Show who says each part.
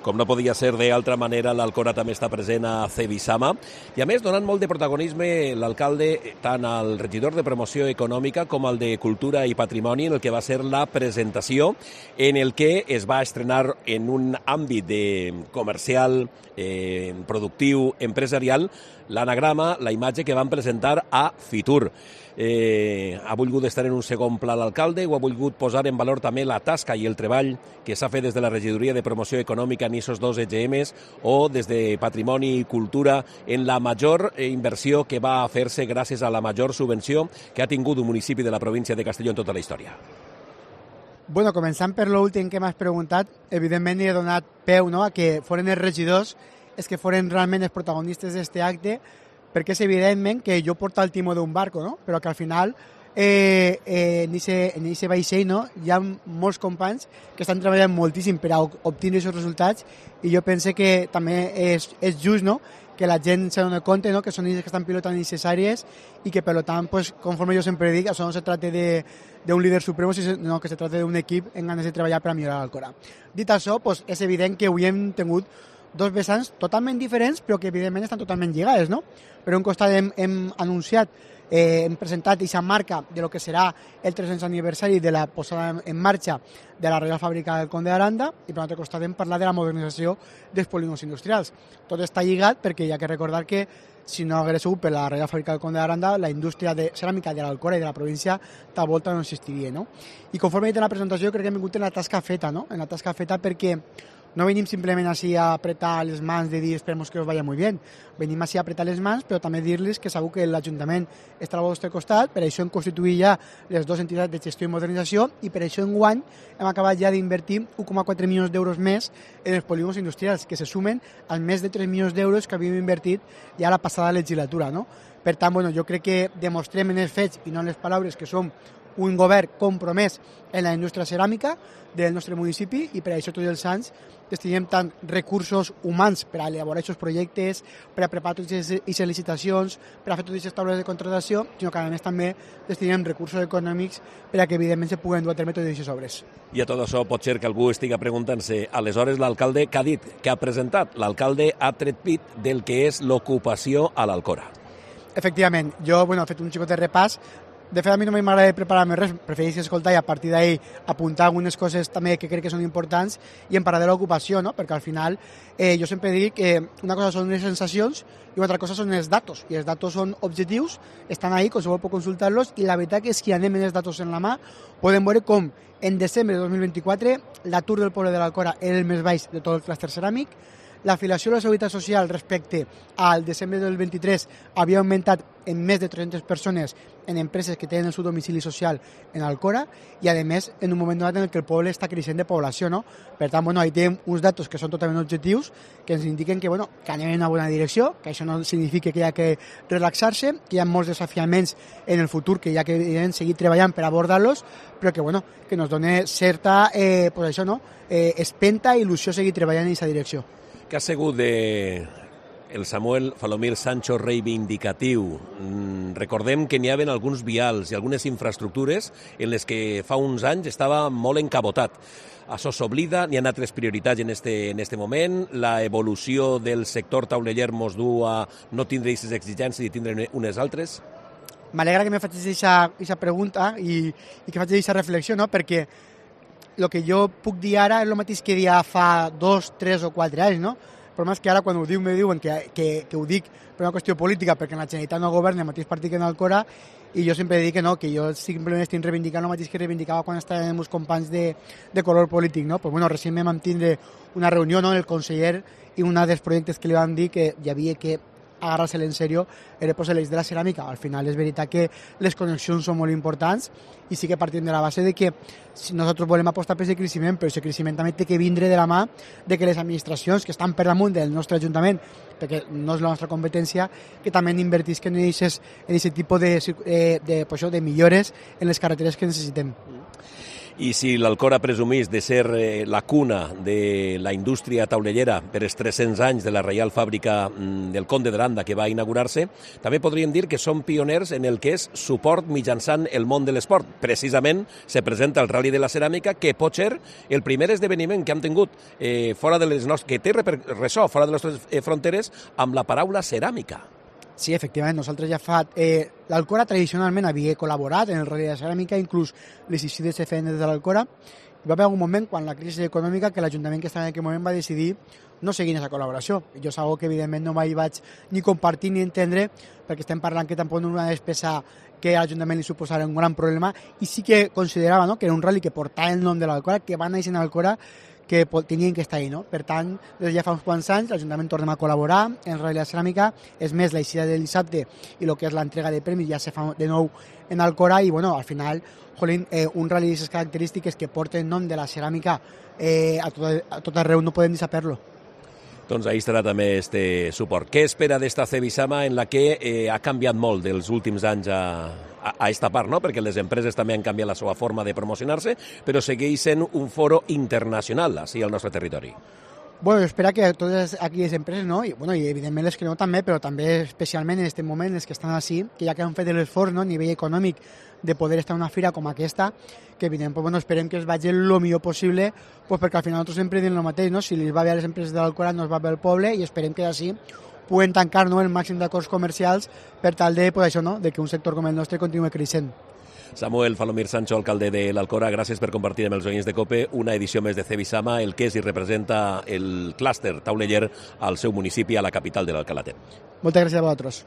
Speaker 1: Com no podia ser d'altra manera, l'Alcora també està present a Cebisama i, a més, donant molt de protagonisme l'alcalde tant al regidor de promoció econòmica com al de cultura i patrimoni, en el que va ser la presentació, en el que es va estrenar en un àmbit comercial, productiu, empresarial, l'anagrama, la imatge que van presentar a Fitur. Ha volgut estar en un segon pla l'alcalde, o ha volgut posar en valor també la tasca i el treball que s'ha fet des de la regidoria de promoció econòmica en aquests 2 EGMs o des de patrimoni i cultura en la major inversió que va fer-se gràcies a la major subvenció que ha tingut un municipi de la província de Castelló en tota la història.
Speaker 2: Bueno, començant per l'últim que m'has preguntat, evidentment he donat peu, no?, a que foren els regidors els que foren realment els protagonistes d'aquest acte, perquè és evidentment que jo porto el timó d'un barco, no? Però que al final en aquest vaixell, no?, hi ha molts companys que estan treballant moltíssim per a obtenir aquests resultats, i jo pense que també és just, no?, que la gent se doni compte, no?, que són ells que estan pilotant necessàries i que, per tant, pues, conforme jo sempre dic, això no se tracta d'un líder supremo, sinó que se tracta d'un equip en ganes de treballar per a millorar l'Alcora. Dit això, pues, és evident que avui hem tingut 2 vessants totalment diferents, però que evidentment estan totalment lligades, no? Per un costat hem anunciat, hem presentat aquesta marca de lo que serà el 300 aniversari de la posada en marxa de la Reial Fàbrica del Conde d'Aranda, i per l'altre costat hem parlat de la modernització dels polígons industrials. Tot està lligat perquè hi ha que recordar que si no hagués sigut per la Reial Fàbrica del Conde d'Aranda, la indústria de ceràmica de l'Alcora i de la província de volta no existiria, no? I conforme he dit en la presentació, crec que hem vingut en la tasca feta, no? En la tasca feta perquè no venim simplement així a apretar les mans de dir esperemos que us vaya muy bien. Venim així a apretar les mans, però també dir-los que segur que l'Ajuntament estarà al vostre costat, per això hem constituït ja les 2 entitats de gestió i modernització, i per això enguany hem acabat ja d'invertir 1,4 milions d'euros més en els polígons industrials, que se sumen als més de 3 milions d'euros que havíem invertit ja la passada legislatura, no? Per tant, bueno, jo crec que demostrem en els fets i no en les paraules que som un govern compromès en la indústria ceràmica del nostre municipi, i per això tots els anys destinem tant recursos humans per a elaborar aquests projectes, per a preparar totes aquestes licitacions, per a fer totes aquestes taules de contractació, sinó que a més també destinem recursos econòmics per a que evidentment se puguen dur a terme totes aquestes obres.
Speaker 1: I a tot això pot ser que algú estigui preguntant-se, aleshores l'alcalde què ha dit, què ha presentat? L'alcalde ha tret pit del que és l'ocupació a l'Alcora.
Speaker 2: Efectivament, jo he fet un xicot de repàs. De fet, a mi no m'agrada preparar-me res, prefereixo escoltar i a partir d'ahir apuntar algunes coses també que crec que són importants i en parlar de l'ocupació, no? Perquè al final jo sempre dic que una cosa són les sensacions i una altra cosa són els datos, i els datos són objectius, estan ahí, qualsevol pot consultar-los, i la veritat és que anem amb els datos en la mà, podem veure com en desembre de 2024 l'atur del poble de l'Alcora era el més baix de tot el clúster ceràmic, l'afiliació a la Seguretat Social respecte al desembre del 23 havia augmentat en més de 300 persones en empreses que tenen el seu domicili social en Alcora, i a més en un moment donat en què el poble està creixent de població, no? Per tant, ahí tenim uns datos que són totalment objectius, que ens indiquen que anem en una bona direcció, que això no significa que hi ha que relaxar-se, que hi ha molts desafiaments en el futur que hi ha que seguir treballant per abordar-los, però que nos dona certa espenta i il·lusió seguir treballant en aquesta direcció.
Speaker 1: Què ha sigut el Samuel Falomir Sancho reivindicatiu? Recordem que n'hi havia alguns vials i algunes infraestructures en les que fa uns anys estava molt encabotat. Això s'oblida, n'hi ha altres prioritats en este moment, la evolució del sector tauleller mos du a no tindre aquestes exigències i tindre unes altres?
Speaker 2: M'alegra que me facis aquesta pregunta i que facis aquesta reflexió, no? Perquè el que jo puc dir ara és el mateix que dia fa 2, 3 o 4 anys, no? El problema és que ara quan ho diu me diuen que ho dic per una qüestió política, perquè en la Generalitat no governa el mateix partit que en Alcora, i jo sempre dic que no, que jo simplement estic reivindicant el mateix que reivindicava quan estàvem amb els companys de color polític, no? Pues recentment vam tindre una reunió, no?, el conseller, i un dels projectes que li vam dir que hi havia que agarrar-se-lo en sèrio era pues, l'eix de la ceràmica. Al final és veritat que les connexions són molt importants i sí que partim de la base de que si nosaltres volem apostar per aquest creixement, però aquest creixement també té que vindre de la mà de que les administracions que estan per damunt del nostre Ajuntament, perquè no és la nostra competència, que també invertisquen en aquest tipus de millores en les carreteres que necessitem.
Speaker 1: I si l'Alcora presumís de ser la cuna de la indústria taulellera per els 300 anys de la Reial Fàbrica del Conde d'Aranda que va inaugurar-se, també podríem dir que són pioners en el que és suport mitjançant el món de l'esport. Precisament se presenta el Rally de la Ceràmica, que pot ser el primer esdeveniment que han tingut fora de les nostres, que té ressò fora de les nostres fronteres amb la paraula ceràmica.
Speaker 2: Sí, efectivament, nosaltres ja fa... L'Alcora tradicionalment havia col·laborat en el Rally de la Ceràmica, inclús les ICIDs se feien des de l'Alcora. Hi va haver un moment, quan la crisi econòmica, que l'Ajuntament que estava en aquell moment va decidir no seguir aquesta col·laboració. Jo és una que, evidentment, no vaig ni compartir ni entendre, perquè estem parlant que tampoc no era una despesa que a l'Ajuntament li suposara un gran problema, i sí que considerava, no?, que era un rally que portava el nom de l'Alcora, que va néixer en l'Alcora, que tenien que estar ahí, no? Per tant, des de ja fa uns quants anys, l'Ajuntament tornem a col·laborar en Rally de la Ceràmica. És més, l'eixida del dissabte i el que és l'entrega de premis ja se fa de nou en Alcora, i bueno, al final, jolín, un rally d'aquestes característiques que porta el nom de la ceràmica a tot arreu, no podem saber-lo.
Speaker 1: Doncs ahí estarà també este suport. Què espera d'esta Cebisama en la que ha canviat molt dels últims anys a esta part, no? Perquè les empreses també han canviat la seva forma de promocionar-se, però segueix sent un foro internacional així al nostre territori.
Speaker 2: Bueno, espera que totes aquelles empreses, no? I, bueno, i evidentment les que no també, però també especialment en aquest moment les que estan així, que ja que han fet l'esforç, no?, a nivell econòmic de poder estar en una fira com aquesta, que evidentment, pues, bueno, esperem que es vagi el millor possible, pues, perquè al final nosaltres sempre diem el mateix, no? Si les va bé a les empreses de l'Alcora, no es va bé al poble, i esperem que així puguem tancar, no?, el màxim d'acords comercials per tal de, pues, això, no?, de que un sector com el nostre continue creixent.
Speaker 1: Samuel Falomir Sancho, alcalde de l'Alcora, gràcies per compartir amb els oients de COPE una edició més de Cebisama, el que és i representa el clúster tauleller al seu municipi, a la capital de l'Alcalatet.
Speaker 2: Moltes gràcies a vosaltres.